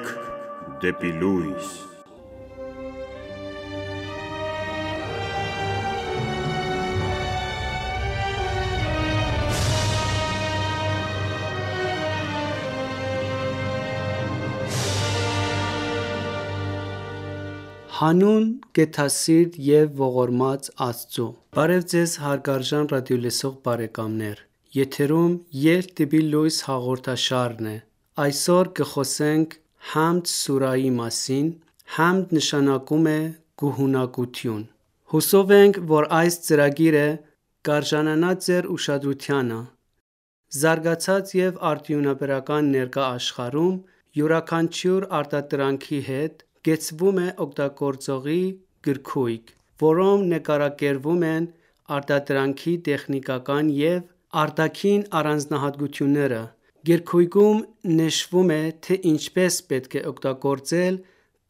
Շարք դեպի լույս։ Հանուն գեթասիրտ և ողորմած Աստծո: Բարև Ձեզ հարգարժան ռադիոլսող բարեկամներ: Եթերում «Ելք դեպի լույս» հաղորդաշարն է: Այսօր կխոսենք Համդ սուրահի մասին: Համդ նշանակում է գոհունակություն: Հուսով ենք, որ այս ծրագիրը կարժանանա Ձեր ուշադրությանը: Զարգացած և արդյունաբերական ներկա աշխարհում յուրաքանչյուր արտադրանքի հետ կեցվում է օգտագործողի գրքույկ, որում նկարագրվում են արտադրանքի տեխնիկական և արտաքին առանձնահատկությունները: Գրքույկում նշվում է, թե ինչպես պետք է օգտագործել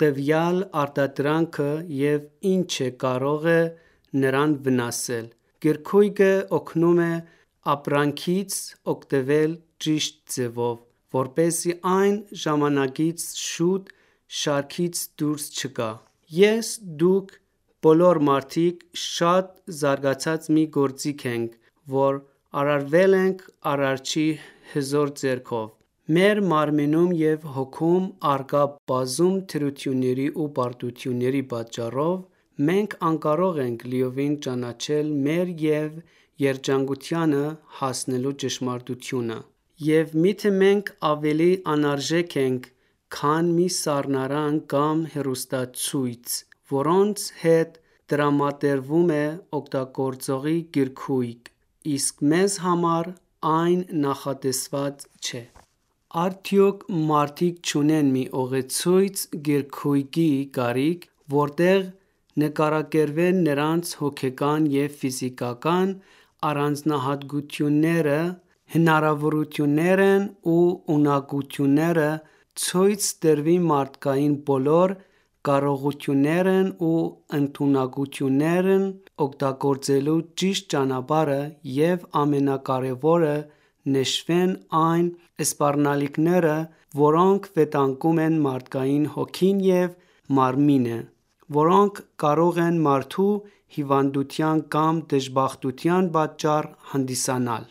տվյալ արտադրանքը և ինչը կարող է նրան վնասել: Գրքույկը օգնում է ապրանքից օգտվել ճիշտ ձևով, որպեսզի այն ժամանակից շուտ շարքից դուրս չգա: Ես, դուք բոլոր մարդիկ շատ զարգացած մի գործիք ենք, որ արարվել ենք Արարչի հզոր ձեռքով: Մեր մարմնում և հոգում առկա բազում թերությունների ու պարտությունների պատճառով մենք անկարող ենք լիովին ճանաչել մեր և երջանկությանը հասնելու ճշմարտությունը: Եվ միթե մենք ավելի անարժեք ենք, քան մի սառնարան կամ հեռուստացույց, որոնց հետ տրամադրվում է օգտագործողի գրքույկ, իսկ մեզ համար այն նախատեսված չէ: Արդյոք մարդիկ չունեն մի ուղեցույց գրքույկի կարիք, որտեղ նկարագրվեն նրանց հոգեկան և ֆիզիկական առանձնահատկությունները, հնարավորություններն ու ունակությունները, ցույց տրվի մարդկային բոլոր կարողություններն ու ընդունակություններն օգտագործելու ճիշտ ճանապարհը և ամենակարևորը նշվեն այն սպառնալիքները, որոնք վտանգում են մարդկային հոգին և մարմինը, որոնք կարող են մարդու հիվանդության կամ դժբախտության պատճառ հանդիսանալ: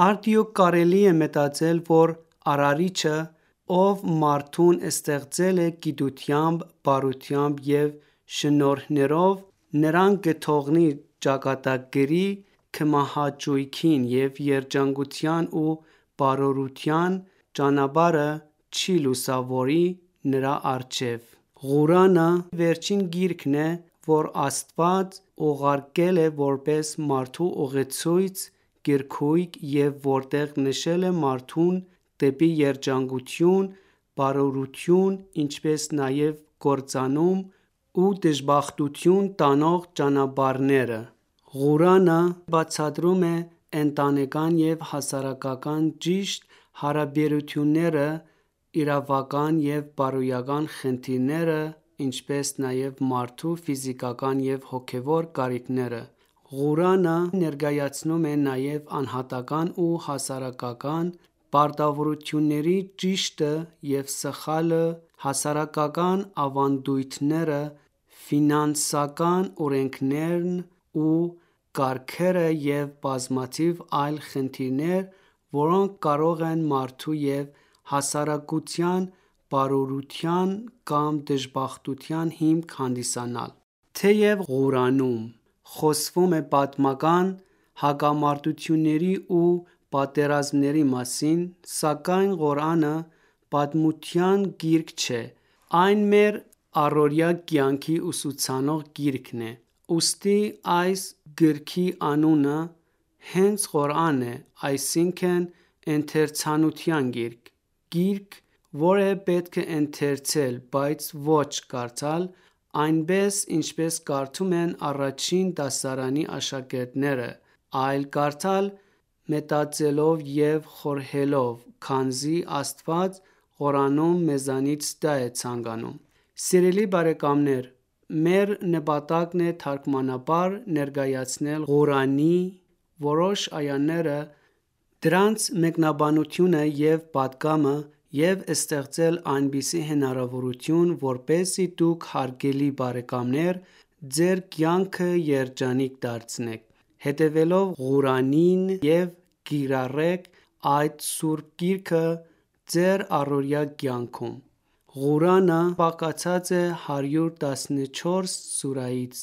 Արդյոք կարելի է մտածել, որ Արարիչը, ով մարդուն ստեղծել է գիտությամբ, բարությամբ և շնորհներով, նրան կթողնի ճակատագրի քմահաճույքին և երջանկության ու բարօրության ճանապարհը չի լուսավորի նրա առջև: Ղուրանը վերջին գիրքն է, որ Աստված ուղարկել է որպես մարդու ուղեցույց գրքույկ և որտեղ նշել է մարդուն դեպի երջանկություն, բարօրություն, ինչպես նաև կործանում ու դժբախտություն տանող ճանապարհները: Ղուրանը բացատրում է ընտանեկան և հասարակական ճիշտ հարաբերությունները, իրավական և բարոյական խնդիրները, ինչպես նաև մարդու ֆիզիկական և հոգևոր կարիքները: Ղուրանը ներկայացնում է նաև անհատական ու հասարակական պարտավորությունների ճիշտը և սխալը, հասարակական ավանդույթները, ֆինանսական օրենքներն ու կարգերը և բազմաթիվ այլ խնդիրներ, որոնք կարող են մարդու և հասարակության բարօրության կամ դժբախտության հիմք հանդիսանալ: Թեև Ղուրանում խոսվում է պատմական հակամարտությունների ու պատերազմների մասին, սակայն Ղուրանը պատմության գիրք չէ: Այն մեր առօրյա կյանքի ուսուցանող գիրքն է: Ուստի այս գրքի անունը հենց Ղուրան է, այսինքն ընթերցանության գիրք: Գիրք, որը պետք է ընթերցել, բայց ոչ կարդալ, այնպես ինչպես կարդում են առաջին դասարանի աշակերտները, այլ կարդալ մտածելով և խորհելով, քանզի Աստված Ղուրանում մեզանից դա է ցանկանում: Սիրելի բարեկամներ, մեր նպատակն է թարգմանաբար ներկայացնել Ղուրանի որոշ այաները, դրանց մեկնաբանությունը և պատգամը և ստեղծել այնպիսի հնարավորություն, որպեսզի դուք հարգելի բարեկամներ ձեր կյանքը երջանիկ դարձնեք, հետևելով Ղուրանին և կիրառեք այդ սուրբ գիրքը ձեր առօրյա կյանքում։ Ղուրանը բաղկացած է 114 սուրայից։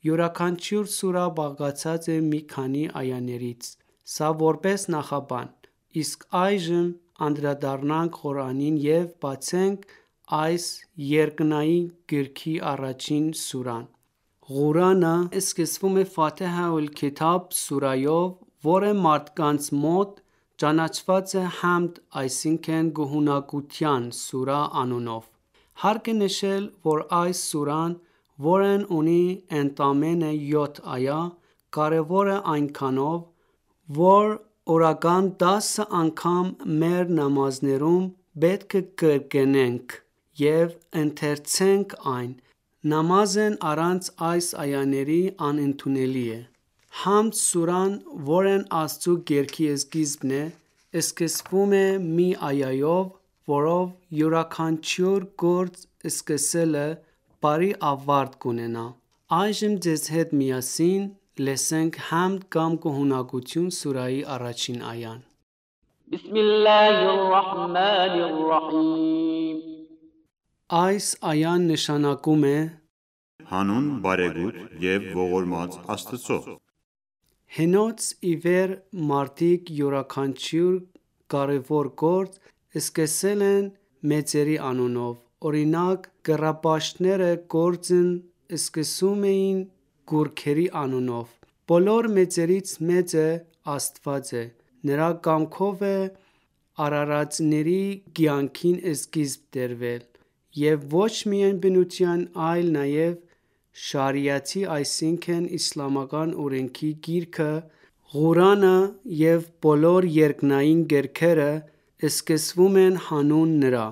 Յուրաքանչյուր սուրա բաղկացած է մի քանի այաներից։ Սա որպես նախաբան։ Իսկ այժմ անդրադառնանք Ղուրանին և բացենք այս երկնային գրքի առաջին սուրան։ Ղուրանը սկսվում է «Ֆաթիհա ալ-Քիթաբ» սուրայով, որը մարդկանց մոտ ճանաչված է «Համդ», այսինքն գոհունակության սուրա անունով։ Հարկ է նշել, որ այս սուրան, որն ունի ընդամենը 7 այա, կարևոր է այնքանով, որ օրական 10 անգամ մեր նամազներում պետք է կրկնենք և ընթերցենք այն։ Նամազն առանց այս այաների անընդունելի է։ «Համդ» սուրան, որն Աստծու գրքի սկիզբն է, սկսվում է մի այայով, որով յուրաքանչյուր գործ սկսելը բարի ավարտ կունենա։ Այժմ ձեզ հետ միասին լսենք «Համդ» կամ գոհունակություն սուրայի առաջին այան։ Այս այան նշանակում է Հանուն բարեգութ և ողորմած Աստծո։ Հենց ի վեր մարդիկ յուրաքանչյուր կարևոր գործ սկսել են մեծերի անունով։ Օրինակ, կռապաշտները գործն սկսում էին գուրքերի անունով։ Բոլոր մեծերից մեծը Աստված է։ Նրա կամքով է արարածների կյանքին սկիզբ դրվել, և ոչ միայն բնության, այլ նաև շարիաթի, այսինքն իսլամական օրենքի գիրքը, Ղուրանը և բոլոր երկնային գրքերը սկսվում են հանուն Նրա։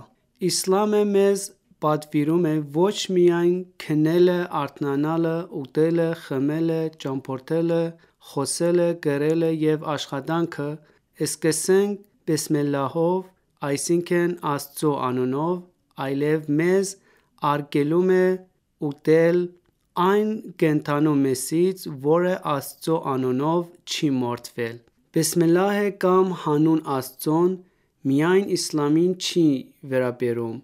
Իսլամը մեզ պատվիրում է ոչ միայն քնելը, արթնանալը, ուտելը, խմելը, ճամփորդելը, խոսելը, գրելը և աշխատանքը սկսենք բիսմիլլահով, այսինքն Աստծու անունով, այլև մեզ արգելում է ուտել այն կենդանու մեսից, որը Աստծու անունով չի մորթվել։ Բիսմիլլահը կամ հանուն Աստծուն միայն իսլամին չի վերաբերում,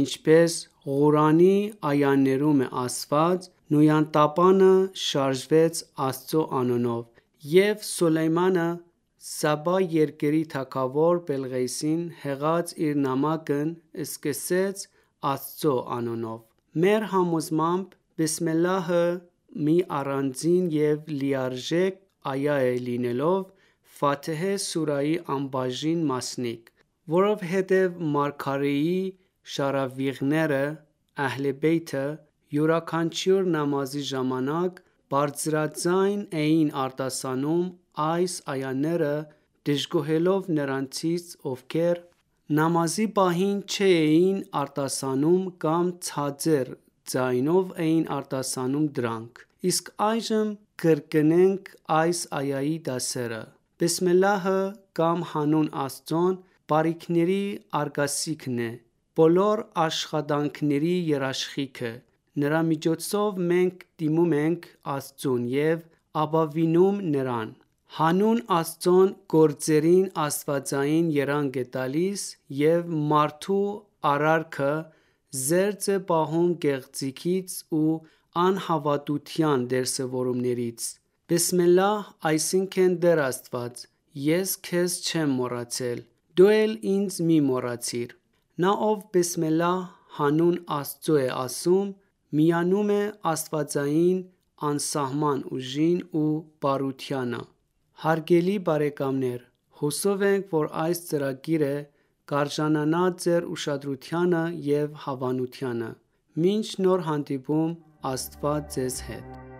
ինչպես Ղուրանի այաներում է ասված. «Նույնատապանը շարժվեց Աստծու անունով, և Սուլեյմանը Սաբա երկրի թագավոր Բելղիսին հղած իր նամակն սկսեց Աստծու անունով»։ Մեր համոզմամբ բիսմիլլահը մի առանձին և լիարժեք այա է լինելով Ֆաթիհե սուրայի անբաժին մասնիկ, որովհետև մարգարեի շարավիղները (Ահլ Բեյթը) յուրաքանչյուր նամազի ժամանակ բարձրաձայն էին արտասանում այս այաները, դժգոհելով նրանցից, ովքեր նամազի պահին չէին արտասանում կամ ցածր ձայնով էին արտասանում դրանք։ Իսկ այժմ կրկնենք այս այայի դասերը։ Բիսմիլլահը կամ հանուն Աստծուն բարիքների արգասիքն է, բոլոր աշխատանքների երաշխիքը։ Նրա միջոցով մենք դիմում ենք Աստծուն և ապավինում Նրան։ Հանուն Աստծուն գործերին աստվածային երանգ է տալիս և մարդու արարքը զերծ է պահում կեղծիքից ու անհավատության դրսևորումներից։ Բիսմիլլահ, այսինքն Տեր Աստված, ես քեզ չեմ մոռացել, դու էլ ինձ մի մոռացիր։ Նա, ով բիսմիլլահ հանուն Աստծու է ասում, միանում է աստվածային անսահման ուժին ու բարությանը։ Հարգելի բարեկամներ, հուսով ենք, որ այս ծրագիրը կարժանանա ձեր ուշադրությանը և հավանությանը։ Մինչ նոր հանդիպում, Աստված ձեզ հետ։